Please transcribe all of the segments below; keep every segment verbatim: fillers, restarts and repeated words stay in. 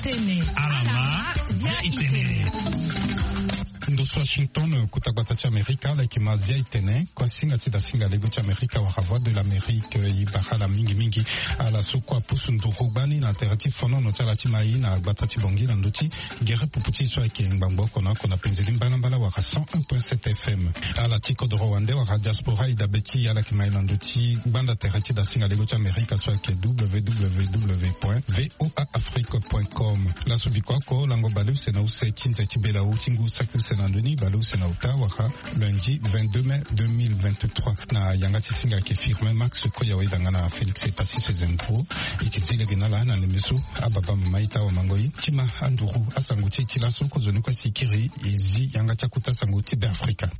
Tene. Ala ma zia itene. Ndo so Washington, kota gbata ti Amerika, ala yeke ma zia itene. Kua singa ti da singa lego ti Amerika wala Voix de l'Amérique, e bara ala mingi mingi. Ala so kue apusu nduru gbani na tere ti fonono ti ala ti mai na gbata ti Bangui na ndö ti gere pupu ti so ayeke ngbangbo oko na oko na penze ni mbalambala wala cent un point sept F M. Ala ti kodoro wande wala diaspora e dabe ti e, ala yeke mai na ndö ti gbanda tere ti da singa lego ti Amerika so ayeke W W W point V O A Afrique point com. Laso biko oko lango baleuse na use ti nze ti bela ti ngu saki use na ndö ni baleuse na ota wala lundi vingt-deux mai deux mille vingt-trois. Na yanga ti singa ayeke Firmin Max Koya, wayda nga na Félix Epassi Sezendro. E yeke zi lege na ala na ndembe so ababa mama ita wamango e ti ma anduru asango ti e ti laso. Kozoni kue si e kiri e zi yanga ti akota sango ti Beafrika.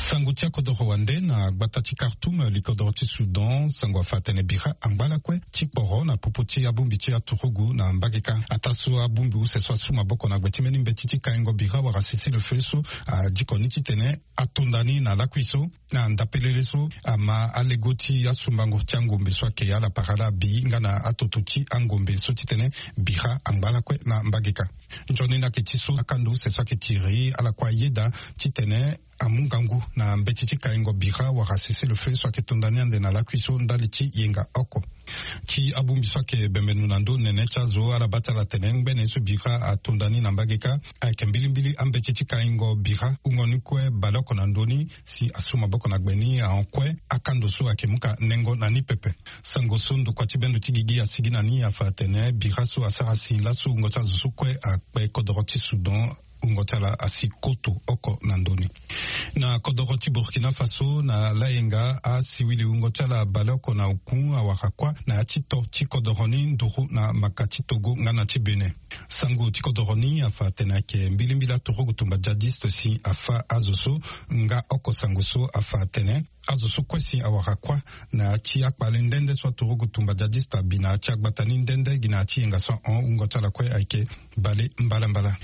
Sango ti akodoro wande na gbata ti Khartoum, li kodoro ti Soudan, sango afa atene bira angba lakue ti kporo na popo ti abongbi ti aturugu na mbageka. Ataa so abongbi use so asu maboko na gbe ti mbeni mbeti ti kaingo bira wala cessez-le-feu so adiko ni titene atonda ni na lakui so. Na ndapelele so ama alego ti asumbango ti angombe so ayeke ala para ala bi nga na atoto ti angombe so titene bira angba lakue na mbageka. Nzoni ni ayeke ti so akando use so ayeke tiri ala kue ayeda titene amu ngangu na mbeti ti kaingo bira wala cessez-le-feu so ayeke tonda ni ande na lakui so ndali ti yenga oko. Ti abongbi so ayeke bembeno na ndö nene ti azo, ala baa ti ala tene ngbene ye so bira atonda ni na mbageka ayeke mbilimbili ambeti ti kaingo bira wungo ni kue baleoko na ndö ni si asu maboko na gbe ni ahon kue. Akando so ayeke mu ka nengo na ni pepe. Sango so ndokua ti bendo ti gigi asigi na ni afa atene bira so asara si laso wungo ti azo so kue akpe kodoro ti Soudan wungo ti ala asi koto oko na ndö ni. Na kodoro ti Burkina Faso, na layenga asiwili wungo ti ala baleoko na oku awara kuâ na ya ti to ti kodoro ni nduru na maka ti Togo nga na ti Bénin. Sango ti kodoro ni afa atene ayeke mbilimbili aturugu tumba djihadiste si afa azo so. Nga oko sango so afa atene azo so kue si awara kuâ na ya ti akpale nde nde so aturugu tumba djihadiste abi na ya ti agbata ni nde nde gi na ya ti yenga so ahon wungo ti ala kue ayeke bale mbalambala.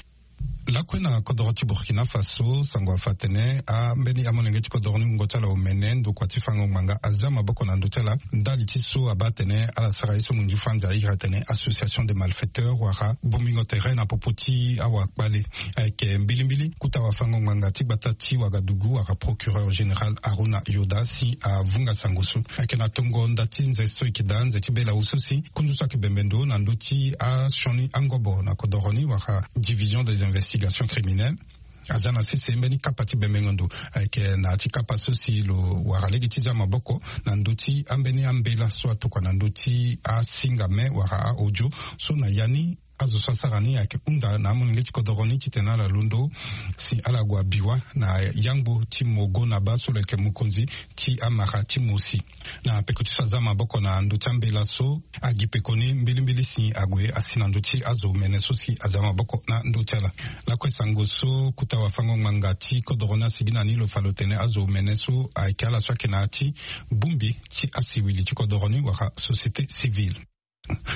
Lakue na kodoro ti Burkina Faso, sango afa atene ambeni amolenge ti kodoro ni wungo ti ala omene ndokua ti fango ngbanga aza maboko na ndö ti ala ndali ti so abaa atene ala sara ye so munzu franzi airi atene association des malfaiteurs wala bongbingo tere na popo ti awakpale. Ayeke mbilimbili kota wafango ngbanga ti gbata ti Ouagadougou wala procureur général Harouna Yoda si avunga sango so. Ayeke na tongo nda ti nze so e yeke daa nze ti bela wu so si kundu so ayeke bembe ndo na ndö ti asioni angobo na kodoro ni wala division des investigations criminelles aza na sese mbeni kapa ti bembengo ndo. Ayeke na ya ti kapa so si lo wara lege ti za maboko na ndö ti ambeni ambela so atokua na ndö ti asinga me wala a-audio so na ya ni azo so asara ni ayeke hunda na amolenge ti kodoro ni titene ala londo si ala gue abi wâ na yangbo ti Mogo Naba so lo yeke mokonzi ti amara ti Mosi. Na peko ti so aza maboko na ndö ti ambela so, agi pekoni mbilimbili si ague asi na ndö ti azo omene so si aza maboko na ndö ti ala. Lakue sango so kota wafango ngbanga ti kodoro ni asigi na ni lo fa lo tene azo omene so ayeke ala so ayeke na ya ti bongbi ti asiwili ti kodoro ni wala société civile.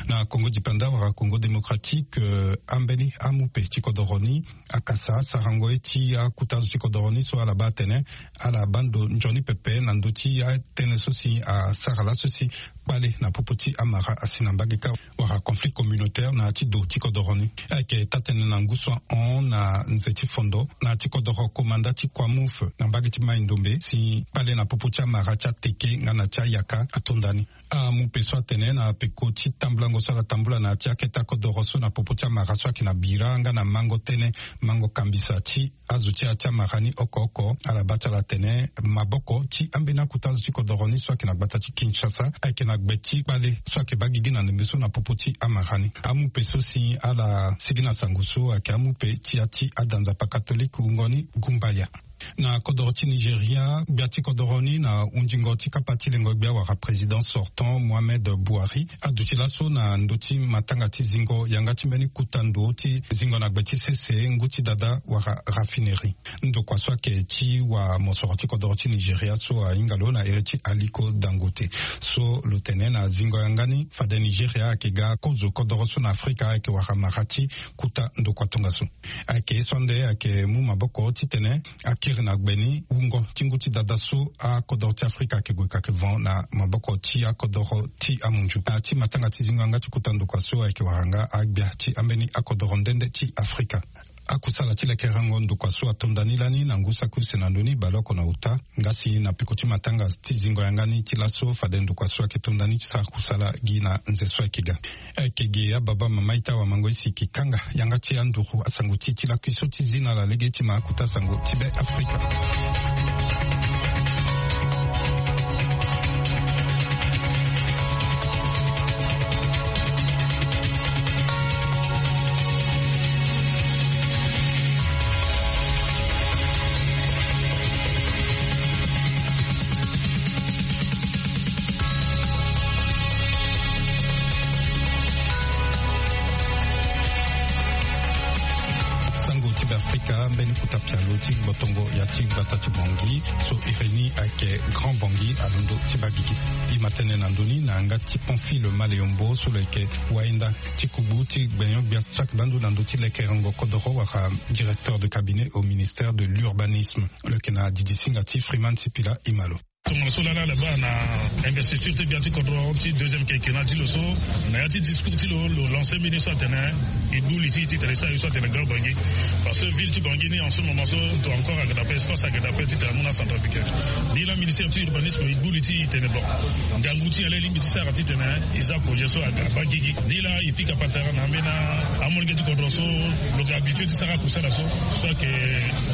Na Congo dipanda wala Congo démocratique, eh, ambeni amupe ti kodoro ni akasa sarango ye ti akota azo ti kodoro ni so ala baa atene ala baa ndo nzoni pepe na ndö ti atënë so si asara laso si kpale na popo ti amara asi na mbageka wala conflit communautaire na ya ti do ti kodoro ni. Ayeke taa-tënë na ngu so ahon na nze ti fondo na ya ti kodoro komanda ti Kwamouth na mbage ti Mai-Ndombe si kpale na popo ti amara ti ateke nga na ti ayaka atonda ni. Amupe so atene na peko ti tambulango so ala tambula na ya ti akete akodoro so na popo ti amara so ayeke na bira nga na mango tënë, mango kambisa ti azo ti ya ti amara ni oko oko, ala baa ti ala tene maboko ti ambeni akota azo ti kodoro ni so ayeke na gbata ti Kinshasa ayeke na gbe ti kpale so ayeke baa gigi na ndembe so na popo ti amara ni. Amupe so si ala sigi na sango so ayeke amupe ti ya ti ada nzapa katolike wungo ni Gumbaya. Na kodoro ti Nigeria, gbia ti kodoro ni na hundingo ti kapa ti lengo gbia wala président sortant Mohamed Buhari aduti laso na ndö ti matanga ti zingo yanga ti mbeni kota ndo ti zingo na gbe ti sese ngu ti dada wala raffinerie. Ndokua so ayeke ti wamosoro ti kodoro ti Nigeria so ahinga lo na iri ti Aliko Dangote so lo tene na zingo yanga ni fade Nigeria ayeke ga kozo kodoro so na Afrika ayeke wara mara ti kota ndokua tongaso. Ayeke ye so ande ayeke mu maboko titene ayeke Iri na gbe ni wungo ti ngu ti dada so akodoro ti Afrika ayeke gue ka yeke van na maboko ti akodoro ti amunzu. Na ti matanga ti zingo yanga ti kota ndokua so ayeke wara nga agbia ti ambeni akodoro nde nde ti Afrika. Akusala ti lekerengo ndokua so atonda ni lani na ngu saki use na ndö ni baleoko na uta. Nga si na peko ti matanga ti zingo yanga ni ti laso fade ndokua so ayeke tonda ni ti sara kusala gi na nze so ayeke ga. Ayeke ge ababa mama ita wamango isi ki kanga yanga ti anduru asango ti ti lakui so ti zi na ala lege ti ma akuta sango ti be Afrika. Sango ti be Afrika mbeni kota pialo ti gbotongo ya ti gbata ti Bangui so iri ni ayeke Grand Bangui alondo ti baa gigi. E ma tene na ndö ni na yanga ti Pamphile Maleyombo so lo yeke wahinda ti kugbu ti gbenyo-gbia so ayeke baa ndo na ndö ti lekerengo kodoro wala directeur de cabinet au ministère de l'urbanisme. Lo yeke na didi singa ti Freeman Sipila. E ma lo. Tongana so lala ala baa na investiture ti gbia ti kodro ti deuxième quinquennat ti lo so, na ya ti discours ti lo, lo lancer mbeni so atene e gbu li ti e titene e sara ye so atene Grand Bangui. Parce que ville ti Bangui ni en ce moment so, to encore ayeke daa ape, espace ayeke daa ape titene amu na centrafricain. Ni la ministère ti urbanisme e gbu li ti e titene bon, ngangu ti e ala e lingbi ti sara titene e za projet so aga baa gigi. Ni la e pika patara na ambeni amolenge ti kodro so lo yeke habitué ti sara akusala so, so ayeke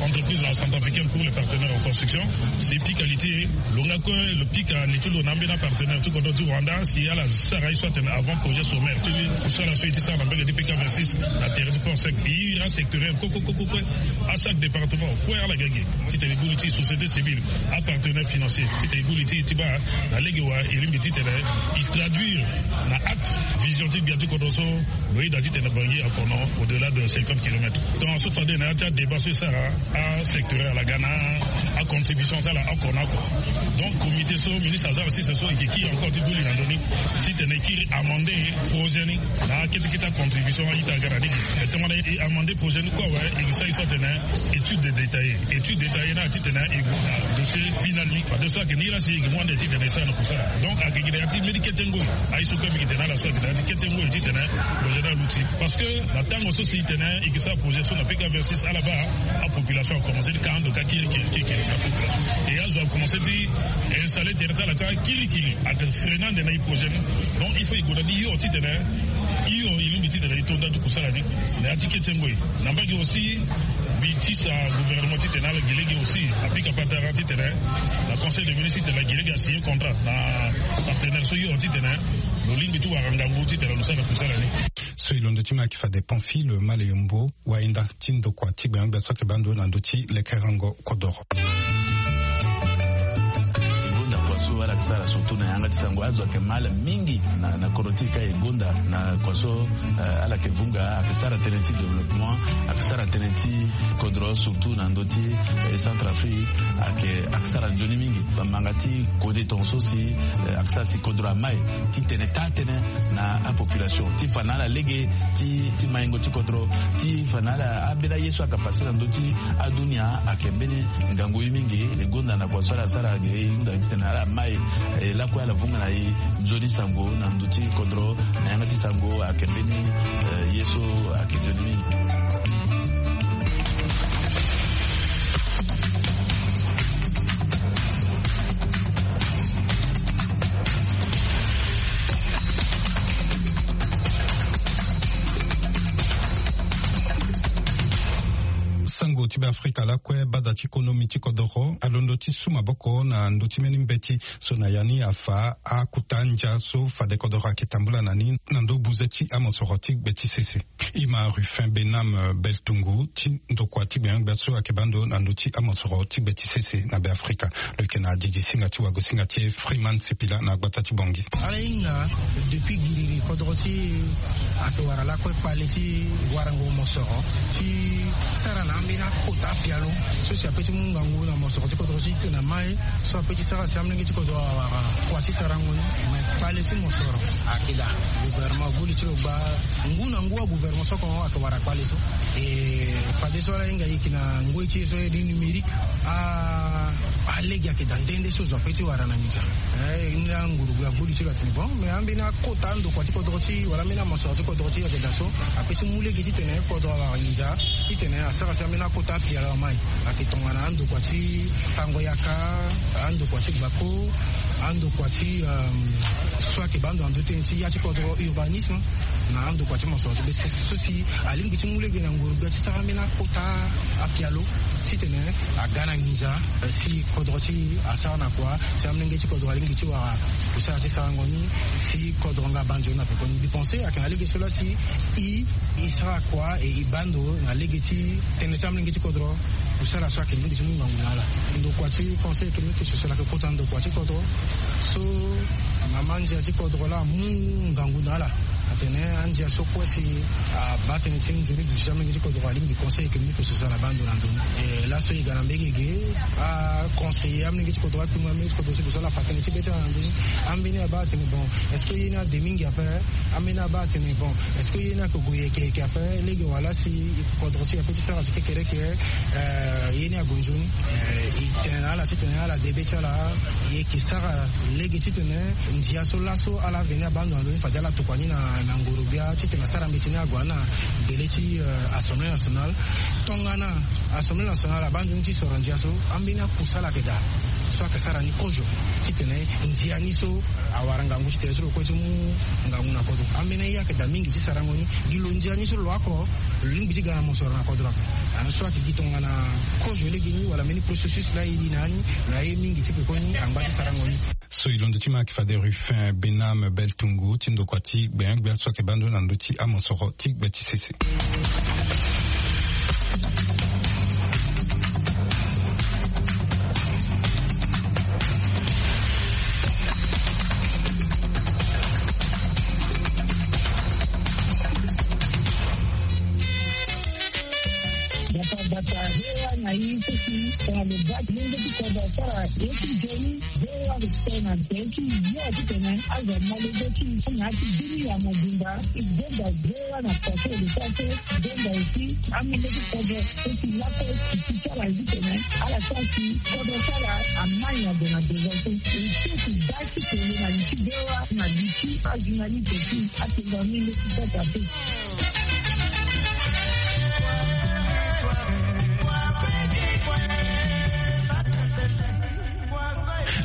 entreprise la centrafricaine pour les partenaires en construction. Si e pika li ti e, lo nga kue lo pika li ti lo na ambeni apartenaire ti kodro ti Rwanda si ala sara ye so atene avant projet sommaire ti kusala so e ti sara na mbage ti P K vingt-six na tere ti Port Sec. E iri asectoriel kue kue kue kue kue, achaque département kue ala ga ge titene e gbu li ti e, société civile, apartenaire financier, titene e gbu li ti e ti baa na lege wa e lingbi titene e traduire na acte vision ti gbia ti kodro so lo yeda titene Bangui akono au-delà de cinquante kilomètres. Tongana so fade na ya ti adébat so e sara, asectoriel ala ga na acontribution ti ala oko na oko. Donc comité so ministre aza na sese so e yeke kiri encore ti gbu li na ndö ni titene e kiri amender projet ni na akete kete acontribution a-ita aga na lege. Mais tongana e amender projet ni kue awe, e yeke sara ye so atene étude détaillée. Étude détaillée ni atitene e gue na dossier final ni. Fadeso ayeke ni la si e yeke mu ande titene e sara na kusala. Donc ayeke gi na ya ti mbeni kete ngoi. Aye so kue mbi yeke tene na ala so ayeke na ya ti kete ngoi titene lo zia ni aluti. Parce que na tango so si e tene e yeke sara projet so na P K vingt-six ala baa apopulation akomanse ti ka ando ka kirikiri kirikiri na population. E azo akomanse ti installer tere ti ala kâ kirikiri. Ayeke freiner ande na e projet ni. Donc il faut e gue na ni hio titene hio e lingbi titene e to nda ti kusala ni na ya ti kete ngoi. Na mbage aussi mbi tisa gouvernement titene ala gi lege aussi apika patara titene na conseil de ministre titene ala gi lege asigner contrat na partenaire so hio titene lo lingbi ti wara ngangu titene lo sara kusala ni. So e londo ti ma ayeke fade Pamphile Maleyombo, wahinda ti ndokua ti gbenyo-gbia so ayeke baa ndo na ndö ti lekerengo kodoro. E gonda kua so ala yeke sara surtout na yanga ti sango, azo ayeke mal mingi na, na kodro ti e ka e gonda na kua so, eh, ala yeke vunga, ayeke sara tënë ti développement, ayeke sara tënë ti kodro surtout na ndö ti, eh, Centrafrique, ayeke, ayeke sara nzoni mingi. Bamanga ti kode tongaso si, eh, ayeke sara si kodro amai ti tene taa-tënë na apopulation ti fa na ala lege ti, ti maingo ti kodro, ti fa na ala ambeni aye so ayeke pase na ndö ti adunia ayeke mbeni ngangu ye mingi. E gonda na kua so ala sara ge e hunda titene ala mai, e lakue ala vunga na e nzoni sango na ndö ti kodro na yanga ti sango ayeke mbeni, eh, ye so ayeke nzoni mingi. Sango ti Beafrika lakue, bada ti konomi ti kodoro alondo ti su maboko na ndö ti mbeni mbeti so na ya ni afa akuta ndia so fade kodoro ayeke tambula na ni na ndo buze ti amosoro ti gbe ti sese. E ma Rufin Benam Beltungu ti ndokua ti gbenyo-gbia so ayeke baa ndo na ndö ti amosoro ti gbe ti sese na Beafrika. Lo yeke na didi singa ti wago singa ti e Freeman Sipila na gbata ti Bangui. Ala hinga depuis giriri kodro ti e ayeke wara lakue kpale ti warango mosoro ti sara na ambeni Kota apialo so si ape ti mu ngangu na mosoro ti kodro ti tene na mai so ape ti sara si amolenge ti kodro awara kua ti sarango ni. Me kpale ti mosoro akeda gouvernement gboli ti lo gba ngu na ngu agouvernement so kongo ayeke wara kpale so. E fadeso ala hinga e yeke na ngoi ti e so e ri numérique. A alege ayeke daa nde nde so zo ape ti wara na nginza. Ni laa ngurugbe agboli ti lo atene bon, me ambeni akota andokua ti kodro ti wala ambeni amosoro ti kodro ti ayeke daa so ape ti mu lege titene kodro awara nginza titene asara si ambeni akota apialo amai. Ayeke tongana andokua ti fango yaka, andokua ti gbako, andokua ti so ayeke baa ndo na ndö ti tënë ti ya ti kodro urbanisme. Na andokua ti mosoro ti be so si alingbi ti mu lege na ngurugbe ti sara ambeni akota apialo titene aga na nginza si kodro ti asara na kua si amolenge ti kodro alingbi ti wara kusala ti sarango ni si kodro nga abaa nzoni na pekoni. Mbi pense ayeke na lege so laa si e e sara kua e e baa ndo na lege ti tënë ti amolenge ti kodro. Kusala so ayeke lingbi ti mu ngangu na ala. Ndokua ti conseil économique et social ayeke kota ndokua ti kodro so mama ndia ti kodro laa amu ngangu na ala. Atene andia so kue si abaa tënë ti nzoni duti ti amolenge ti kodro alingbi conseil économique et social abaa ndo na ndoni. E laso e ga na mbege ge aconseiller amolenge ti kodro akpingo amolenge ti kodro so gue so ala fa tënë ti be ti ala na ndoni. Ambeni abaa atene bon, est-ce que ye ni ade mingi ape? Ambeni abaa atene bon, est-ce que ye ni ayeke gue yeke yeke ape? Lege wala si kodro ti e ape ti sara si kekereke. Ye ni ague nzoni. E tene na ala titene ala de be ti ala. E yeke sara lege titene ndia so laso ala veni abaa ndo na ndoni fade ala tokua ni na na ngoro-gbia titene asara mbeti ni ague na gbele ti assemblée nationale. Tongana assemblée nationale abaa nzoni ti soro ndia so, ambeni akusala ayeke daa so ayeke sara ni kozo titene ndia ni so awara ngangu ti tene so lo kue ti mu ngangu na kodro. Ambeni aye ayeke daa mingi ti sarango ni. Gi lo ndia ni so lo oko lo lingbi ti ga na mosoro na kodro ape. Anso ayeke gi tongana kozo lege ni wala mbeni processus laa e li na ya ni na aye mingi ti pekoni angba ti sarango ni. So e londo ti ma ayeke fade Ruffin Benam Beltungu ti ndokua ti gbengbia so ayeke baa ndo na ndö ti amosoro ti gbe ti sese. Bata bata, V O A na i so si tongana lo baa ti lenge ti kodro asara ye ti nzoni. V O A respect na nze ti yo titene azo amolenge ti i na ya ti bini ya mobimba. I gbenda V O A na kua so e lo sara so. Gbenda aussi amolenge ti kodro so si laso e ti ti sara titene ala sara si kodro ti ala amai na ndo na devant so. E ti e ti baa ti tene na li ti V O A na li ti ajournaliste ti atengo amolenge ti sasa pe.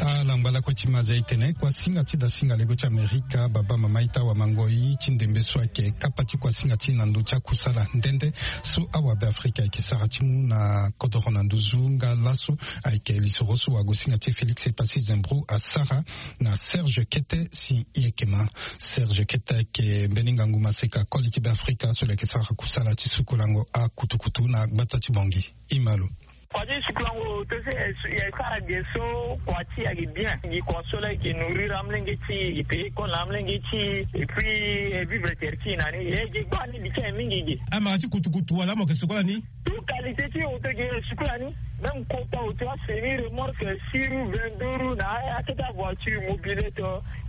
Alangba lakue ti maza e tene kuasinga ti dasinga lego ti Amerika, baba mama ita wamangoi ti ndembe so ayeke kapa ti kuasinga ti na ndö ti akusala nde nde so awabe Afrika ayeke sara ti mu na kodoro na nduzu nga laso ayeke lisoro so wagosinga ti Félix Epassi Zembro asara na Serge Kete si i yeke ma. Serge Kete ayeke mbeni ngangu maseka koli ti Beafrika so lo yeke sara kusala ti sukulango akutukutu na gbata ti Bangui. I ma lo. Kua ti sukulango oto so e sara ge so kua ti e ayeke bien. Gi kua so laa e yeke nourrir amolenge ti e, e payer école na amolenge ti e, et puis e vivre tere ti e na ni. E ge gbaa ni, bi ti e mingi ge. Amara ti kutukutu wala mo yeke sukola ni? Tout qualité ti oto ge e sukola ni. Même kota oto, asemi, remorque, six roues, vingt-deux roues, na akete avoiture, mobilette.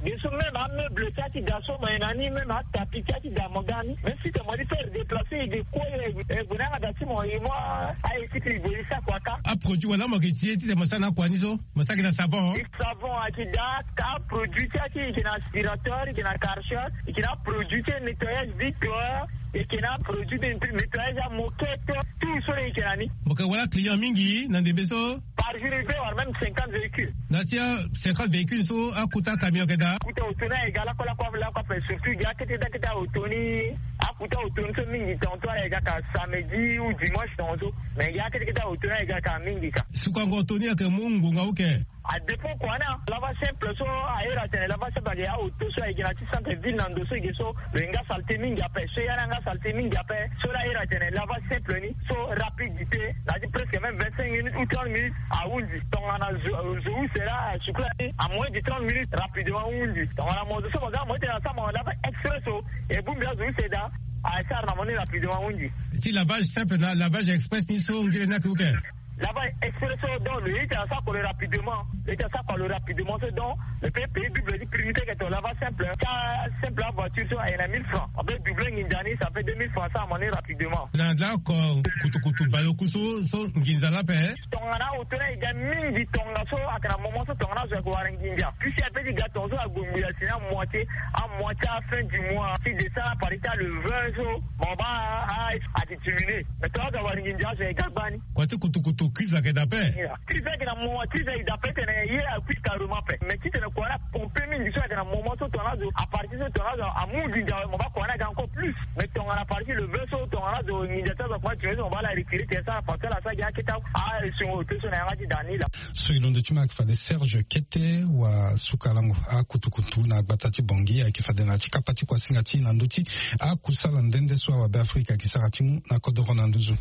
Ge so même ameuble ti ake da so mo ye na ni, même atapi ti ake da mo ga ni. Même si tene mo di faire déplacer, e ge kue, e gue na yanga da ti mo, e mu a-équipe, e gue e sara kua kâ. Aproduit wala mo yeke ti e titene mo sara na akua ni so? Mo sara gi na savon? Savon ake da, aproduit ti ake e yeke na aspirateur, e yeke na Karcher, e yeke na aproduit ti nettoyage vitre, e yeke na aproduit ti nettoyage amoquette, tout so e yeke na ni. Mo yeke wara client mingi na ndembe so? Par jour e peut avoir même cinquante véhicules. Na ti cinquante véhicules so, akota camion ayeke daa? Akota oto ni ayeke ga lakue lakue lakue ape, surtout gi akete akete aoto ni. Akota oto ni so mingi tongaso ala yeke ga ka samedi ou dimanche tongaso. Mais gi akete akete aoto ni ayeke ga ka mingi ka. Sukango oto ni ayeke mu ngonga oke? A dépend kua na lava simple so, a iri atene lava simple ayeke aoto so ayeke na ti centre ville na ndo so e ge so lo yeke nga saleté mingi ape. So e ya ni anga saleté mingi ape, so laa a iri atene lava simple ni so rapidité na ya ti presque même vingt-cinq minutes. Ou trente minutes ahundi. Tongana zo zo use laa asukula ni à moins de trente minutes rapidement ahundi. Tongana mo zo so mo ga mo ete na sa mo lava express so, e bongbi azo use daa asara na mo ni rapidement ahundi. Ti lavage simple na lavage express ni so ngere ni ayeke uke? Lavage express so, donc lo ye ti asara kua lo rapidement. Lo ye ti asara kua lo rapidement so, donc lo pe payer double ti prix ni ti ayeke to lavage simple. Ti asimple avoiture so ayeke na mille francs, on pe doubler nginza ni, ça fait deux mille francs, asara mo ni rapidement. Na lako kutukutu bayoku so so nginza laa ape? Tongana auto ni ayeke ga mingi tongaso ayeke na moment so tongana azo ayeke wara nginza. Puisque ape ti ga tongaso ague ngbiza si ni amoitié, amoitié à fin du mois ti décembre à partir ti le vingt so, mo baa a a ati diminuer. Mais tongana azo awara nginza azo ayeke ga gbani. Kua ti kutukutu crise ayeke daa ape? Crise ayeke na moment, crise ayeke daa ape titene ye akui carrément ape. Mais titene kua ni apompe mingi so ayeke na moment so tongana azo, à partir so tongana azo amu nginza awe, mo baa kua ni aga encore plus. Mais tongana à partir le vingt so tongana azo nginza ti azo akoma diminuer so, mo baa ala reculer tene so ala parti ala sara gi akete asungo auto so na yanga ti daa ni laa. So e londo ti ma ayeke fade Serge Kete wa suka lango akutukutu na gbata ti Bangui ayeke fade na ya ti kapa ti kuasinga ti e na ndö ti akusala nde nde so awabe Afrika ayeke sara ti mu na kodoro na nduzu.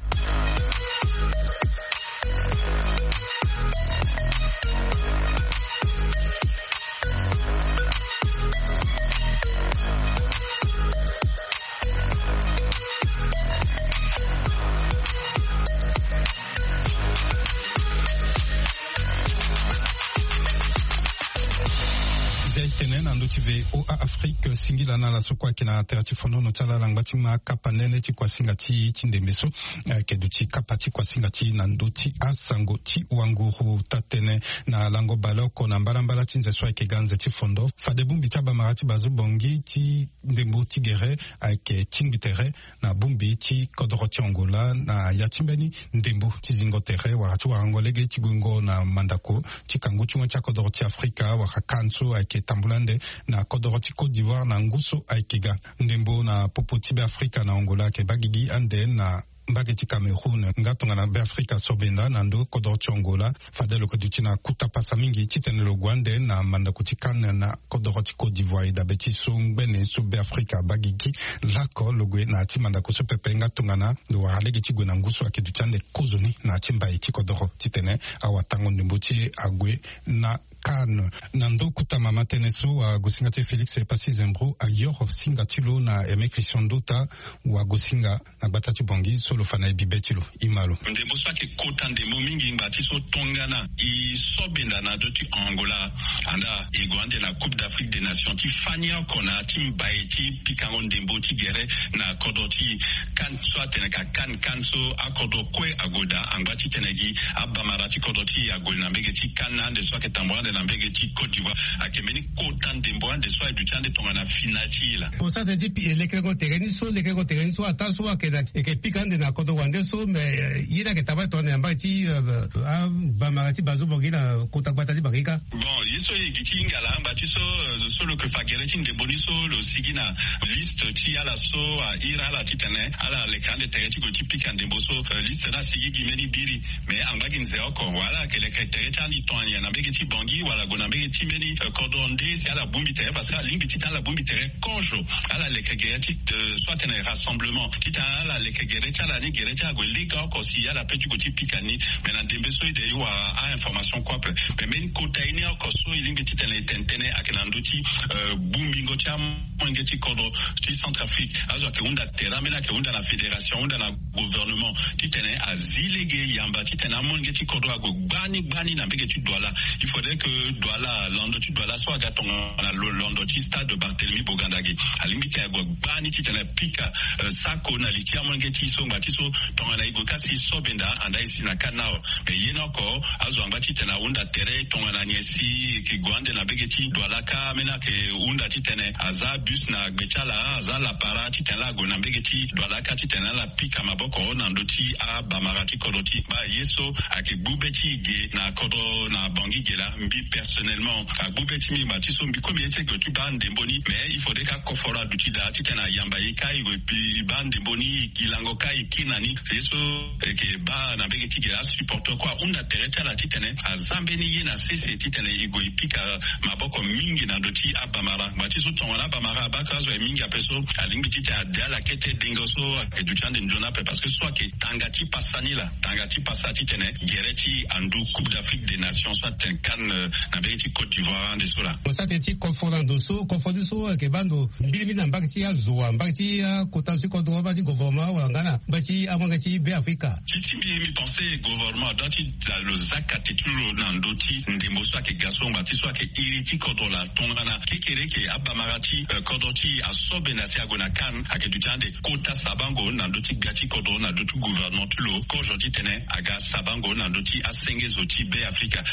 Zia e tene na ndö ti V O A Afrique, singila na ala so kue ayeke na tere ti fonono ti ala ala ngba ti ma akapa nene ti kuasinga ti e ti ndembe so ayeke duti kapa ti kuasinga ti e na ndö ti asango ti wanguru. Taa-tënë na lango baleoko na mbalambala ti nze so ayeke ga nze ti fondo, fade bongbi ti abamara ti Bazo Bangui ti ndembo ti gere ayeke tingbi tere na bongbi ti kodoro ti Angola na ya ti mbeni ndembo ti zingo tere wala ti warango lege ti guengo na mandako ti kangu ti ngoi ti akodoro ti Afrika wala CAN so ayeke tambula ande na kodoro ti Côte d'Ivoire na ngu so ayeke ga. Ndembo na popo ti Beafrika na Angola ayeke baa gigi ande na mbage ti Cameroun nga tongana Beafrika asobenda na ndo kodoro ti Angola. Fade lo yeke duti na kota pasa mingi titene lo gue ande na mandako ti CAN na kodoro ti Côte d'Ivoire. E dabe ti so ngbene so Beafrika abaa gigi lako lo gue na ya ti mandako so pepe nga tongana lo wara lege ti gue na ngu so ayeke duti ande kozoni na ya ti mbai ti kodoro titene awatango ndembo ti e ague na CAN. Na ndo kota mama tënë so, wagosinga ti e Félix Passy Zembro ayoro singa ti lo na Aimé Christian Ndota, wagosinga na gbata ti Bangui so lo fa na e bibe ti lo. E ma lo. Ndembo so ayeke kota ndembo mingi ngba ti so tongana e sobenda na ndö ti Angola, anda e gue ande na Coupe d'Afrique des Nations ti fani oko na ya ti mbai ti pikango ndembo ti gere na kodro ti CAN so atene ka CAN, CAN so akodro kue ague daa angba titene gi abamara ti kodro ti e ague na mbege ti CAN ande so ayeke tambula ande na mbege ti Côte d'Ivoire. Ayeke mbeni kota ndembo ande so aye duti ande tongana finale ti e laa. Mo sara tënë ti pi-, lekerengo tere ni so, lekerengo tere ni so ataa so ayeke na, e yeke pika ande na kodro wande so, mais, euh, ye ni ayeke tambula tongana na mbage ti, euh, abamara ti Bazo Bangui na kota gbata ti Bangui kâ. Bon, ye so e gi ti hinga laa ngba ti so, euh, so lo yeke fa gere ti ndembo ni so lo sigi na liste ti ala so ahiri ala titene ala leke ande tere ti gue ti pika ndembo so, euh, liste ni asigi gi mbeni biri. Mais angba gi nze oko, wala ala yeke leke tere ti ande tongana nyen, na mbege ti Bangui wala gue na mbege ti mbeni, euh, kodro nde si ala bongbi tere, parce que alingbi titene ala bongbi tere kozo. Ala leke gere ti, euh, so atene rassemblement titene ala leke gere ti ala ni, gere ti ala gue lege oko si ala pe ti gue ti pika ni. Mais na ndembe so e de e wara a-information kue ape. Mais mbeni kota ye ni oko so e lingbi titene e tene tënë ayeke na ndö ti, euh, bongbingo ti amolenge ti kodro ti Centrafrique. Azo ayeke hunda tere, ambeni ayeke hunda na fédération, ahunda na gouvernement titene azi lege yamba titene amolenge ti kodro ague gbani gbani na mbege ti Douala. Il faudrait que Douala, londo ti Douala so aga tongana lo-, londo ti stade Barthélemy Boganda ge, alingbi ti ague gbani titene apika, euh, sako na li ti amolenge ti e so ngba ti so tongana e gue kâ si e sobenda anda e si na CAN awe. Mais ye ni oko azo angba titene ahunda tere tongana nyen si e yeke gue ande na mbege ti Douala kâ, ambeni ayeke hunda titene aza bus na gbe ti ala, aza lapara titene ala gue na mbege ti Douala kâ titene ala pika maboko na ndö ti abamara ti kodro ti e. Baa ye so ayeke gbu be ti e ge na kodro na Bangui ge laa, mbi Personnellement, agbu be ti mbi ngba ti so mbi komi ye ti gue ti baa ndembo ni, mais il faudrait ka koforo aduti daa titene ayamba ye ka e gue e baa ndembo ni, e lango ka e kiri na ni. C'est so eke baa na mbege ti gere asupporter kue ahunda tere ti ala titene aza mbeni ye na sese titene e gue e pika maboko mingi na ndö ti abamara. Ngba ti so tongana abamara abaa ka azo aye mingi ape so, alingbi titene ade ala kete dengo so ake duti ande nzoni ape, parce que so ake tanga ti pasa ni laa, tanga ti pasa titene gere ti andu Coupe d'Afrique des Nations so atene CAN, euh, na mbege ti Côte d'Ivoire ande so laa. Mo sara tënë ti koforo na ndo so, koforo ni so ayeke baa ndo mbirimbiri na mbage ti azo wa, mbage ti akota zo ti kodoro, mbage ti gouvernement wala nga na mbage ti amolenge ti Be Afrika. Ti ti mbi, mbi pense gouvernement adua ti da lo za kate ti lo na ndö ti ndembo so ayeke ga so ngba ti so ayeke iri ti kodro laa. Tongana kekereke abamara ti, euh, kodro ti e asobe na si ague na CAN, ayeke duti ande kota sabango na ndö ti gbia ti kodro na ndö ti gouvernement ti lo kozo titene aga sabango na ndö ti asenge zo ti Be Afrika.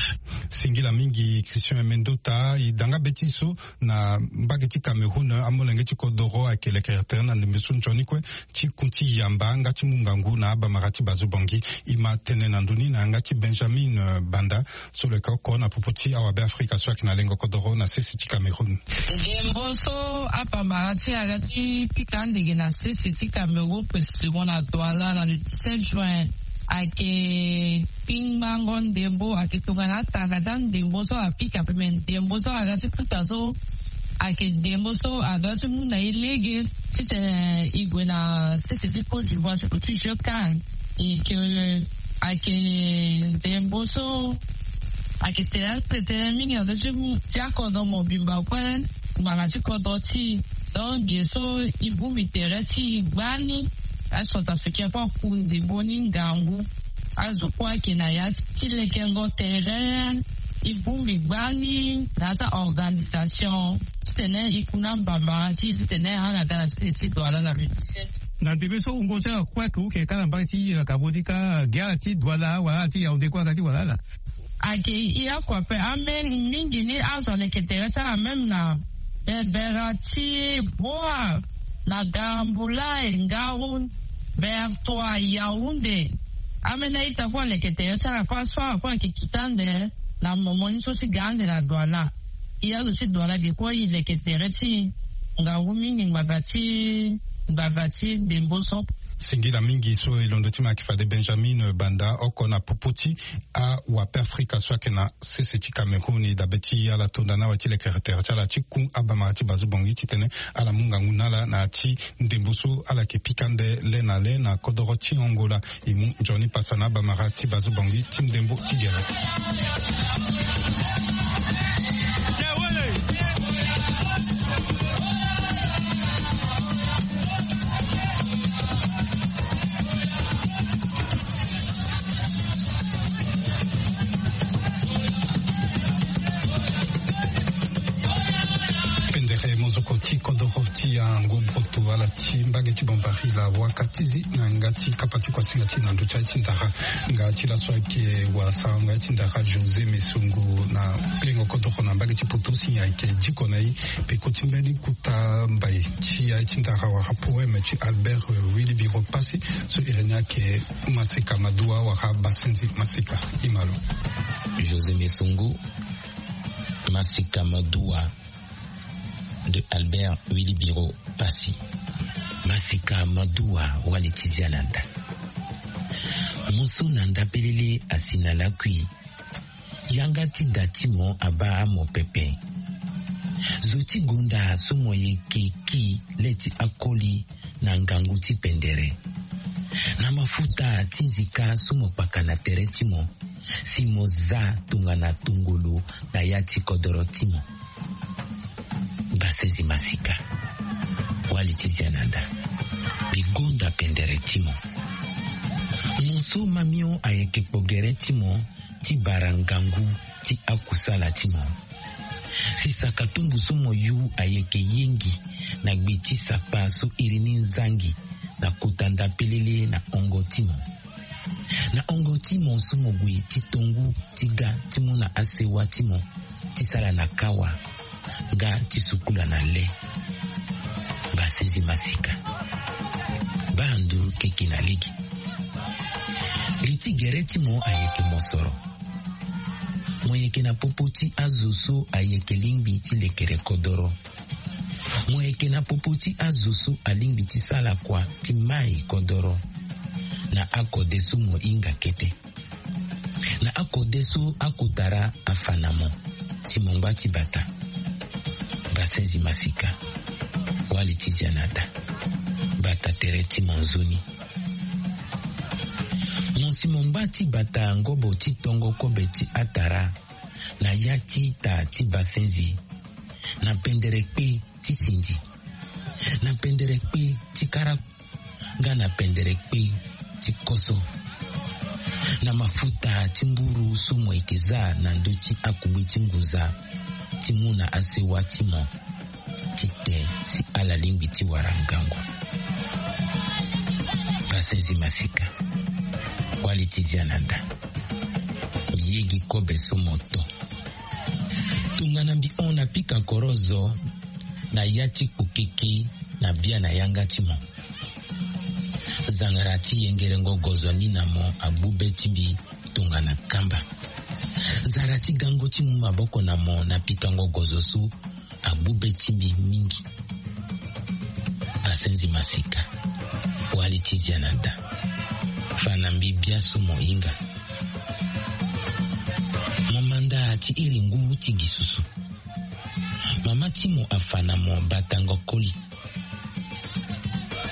Singila mingi Christian Mendota. E da nga be ti so na mbage ti Cameroun, amolenge ti kodoro ayeke lekere tere na ndembe so nzoni kue ti ku ti yamba nga ti mu ngangu na abamara ti bazo Bangui. E ma tene na ndö ni na yanga ti Benjamin, euh, Banda, so lo yeke oko na popo ti awabe Afrika so ayeke na lengo kodoro na sese ti Cameroun. Ndembo so abamara ti e aga ti pika ande ge na sese ti Cameroun, précisément na Douala, na le dix-sept juin, ayeke kpingbango ndembo, ayeke tongana atanga ti andembo so apika ape, me ndembo so aga ti pika so ayeke ndembo so adua ti mu na e lege titene e gue na sese ti Côte d'Ivoire ti gue ti jeu CAN. E ke ayeke ndembo so ayeke tene, ayeke tene mingi na ndö ti, ti akodro mobimba kue, ngbanga ti kodro ti e. Donc ge so e bongbi tere ti e gbani, acentrafricain kue aku ndembo ni ngangu. Azo kue ayeke na ya ti lekengo tere, e bongbi gbani na ya ti a-organisation titene e ku na mbambara ti e titene ala ga na sese ti Douala na le dix-sept. Na ndembe so wungo ti ala kue ayeke wuke kâ na mbage ti, euh, Cameroun ni kâ, ge ala ti Douala wala ala ti Yaoundé kue aga ti wala ala. Ayeke ya kue ape, amême mingi ni azo aleke tere ti ala même na Berbera ti Boa, na Garambula, Ngaoundé, Bertoua, Yaoundé. Ambeni a-ita kue aleke tere ti ala kue, so ala kue ayeke kita ande na momo ni so ti ga ande na Douala. E azo ti Douala ge kue e leke tere ti e ngangu mingi ngbanga ti, ngbanga ti ndembo so. Singila mingi so e londo ti me ayeke fade Benjamin Banda, oko na popo ti awabe Afrika so ayeke na sese ti Cameroun. E dabe ti ala to nda na awe ti lekere tere ti ala ti ku abamara ti bazo Bangui titene ala mu ngangu na ala na ya ti ndembo so ala yeke pika ande le na le na kodoro ti Angola. E mu nzoni pasa na abamara ti bazo Bangui ti ndembo ti gere. Pendere mozoko ti kodoro ti angu broto ala ti mbage ti Bambari la waka ti zi na yanga ti kapa ti kuasinga ti e na ndö ti aye ti ndara. Nga ti laso ayeke wala sarango aye ti ndara José Mesongo na lengo kodoro na mbage ti poto si ayeke diko na e. Peko ti mbeni kota mbai ti aye ti ndara wala poème ti Albert, euh, Wilibiro Passy, so iri ni ayeke Maseka Madoua wala Basenzi Maseka. E ma lo. José Mesongo, Maseka Madoua, de Albert Wilibiro Passy. Maseka Madoua, wali ti zia na nda. Mo so na nda pelele asi na lakui. Yanga ti da ti mo abaa mo pepe. Zo ti gonda so mo yeke ki le ti akoli na ngangu ti pendere. Na mafuta ti nzika so mo kpaka na tere ti mo, si mo za tongana tongolo na ya ti kodoro ti mo. Basezi Masika, wali ti zia na nda. Mbi gonda pendere ti mo. Mo so mamio ayeke kpo gere ti mo ti bara ngangu ti akusala ti mo. Si saka tumbu so mo yu ayeke yengi na gbe ti sakpa so iri ni nzangi na kota nda pelele na hongo ti mo. Na hongo ti mo so mo gue ti tongu ti ga ti mu na asewa ti mo ti sara na kawa nga ti sukula na le. Basezi Masika, baa nduru keke na lege. Li ti gere ti mo ayeke mosoro. Mo yeke na popo ti azo so ayeke lingbi ti lekere kodoro. Mo yeke na popo ti azo so alingbi ti sara kua ti mai kodoro. Na akode so mo hinga kete, na akode so akotara afa na mo, ti mo ngba ti bata. Basenzi masika, wali ti zia na da. Bata tere ti mo nzoni. Mo si mo ngba ti bata ngobo ti tongo kobe ti atara, na ya ti ita ti basenzi, na pendere kpe ti sindi, na pendere kpe ti kara, nga na pendere kpe ti koso, na mafuta ti mburu so mo yeke za na ndö ti akugbe ti ngunza, ti mu na asewa ti mo, ti te si ala lingbi ti wara ngangu. Basenzi masika, wali ti zia na da. Mbi ye gi kobe so mo to. Tongana mbi hon na pika korozo, na ya ti kpokeke na bia na yanga ti mo. Zangara ti yengerengo gozo ni na mo agbu be ti mbi tongana kamba. Zara ti gango ti mu maboko na mo na pikango gozo so agbu be ti mbi mingi. Basenzi masika, wali ti zia na da. Fa na mbi bia so mo hinga. Mo manda ti iri ngu ti gi susu. Mama ti mo afa na mo batango koli.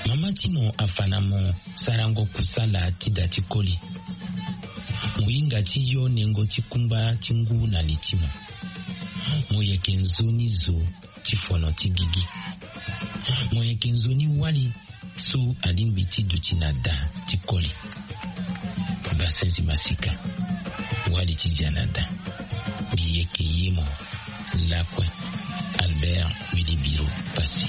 Mama ti mo afa na mo sarango kusala ti da ti koli. Mo hinga ti yo nengo ti kungba ti ngu na li ti mo. Mo yeke nzoni zo ti fono ti gigi. Mo yeke nzoni wali so alingbi ti duti na da ti koli. Basenzi masika, wali ti zia na da. Mbi yeke ye mo. Lakue, Albert Wilibiro Passy.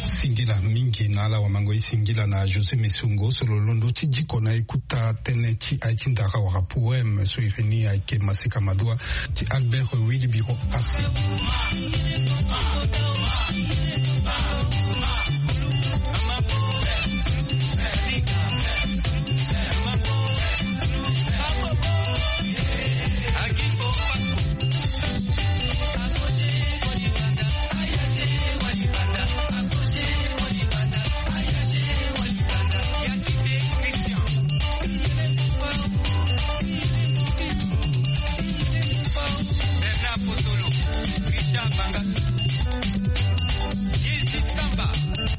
Singila mingi na ala wamango e singila na José Mesongo so lo londo ti diko na ekuta tënë ti aye ti ndara wala poème so iri ni ayeke Maseka Madua ti Albert Wilibiro Passy.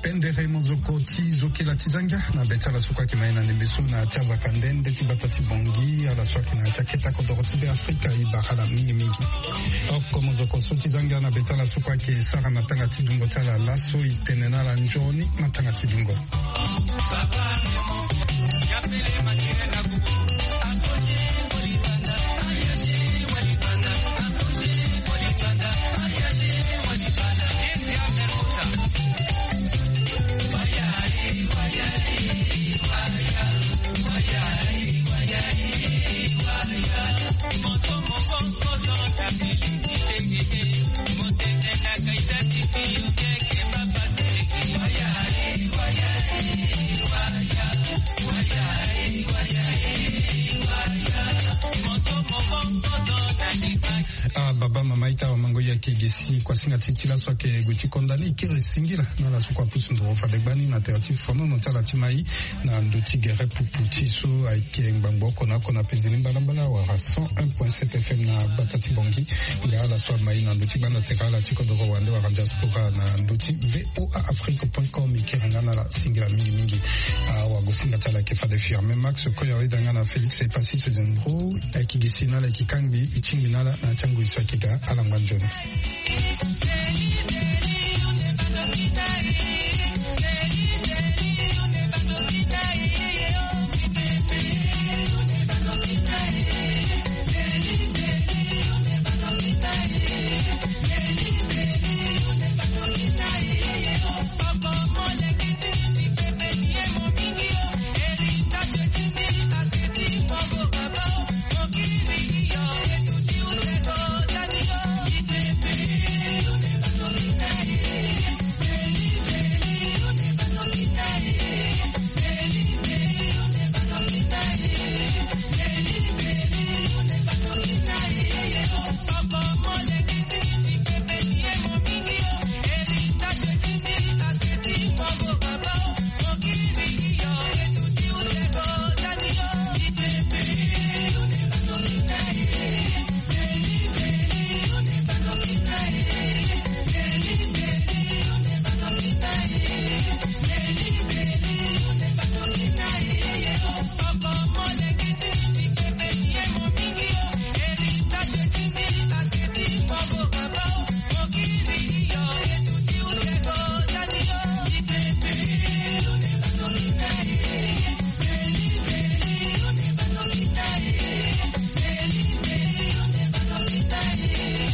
Pendere mozoko ti zokela ti zangia na be ti ala so kue ayeke ma ye na ndembe so na ya ti avaka nde nde ti bata ti Bongi, ala so ayeke na ya ti aketa kodoro ti Be Afrika, e bara ala mingimingi. Oko mozoko so ti zangia na be ti ala so kue ayeke sara matanga ti dungo ti ala laso, e tene na ala nzoni matanga ti dungo. Ah, baba, mama, ita, wamango, ya ke gi si kuasinga ti ti laso ayeke gue ti konda ni, kiri singila na ala so kue apusu nduru fade gbani na tere ti fonono ti ala ti mai na ndö ti gere pupu ti so ayeke ngbangbo oko na oko na pezeni mbalambala wala cent un point sept F M na gbata ti Bongi. Nga ala so amai na ndö ti gbanda tere ala ti kodoro wande wala diaspora na ndö ti V O A Afrique point com, e kiri nga na ala singila mingimingi. Awagosinga ti ala ayeke fade Firmin Max, koya weda nga na Félix Epassi Sezendro. Ayeke gi si na ala, ayeke kangbi, e tingbi na ala na ya ti angoi so ayeke ga, ala ngba nzoni.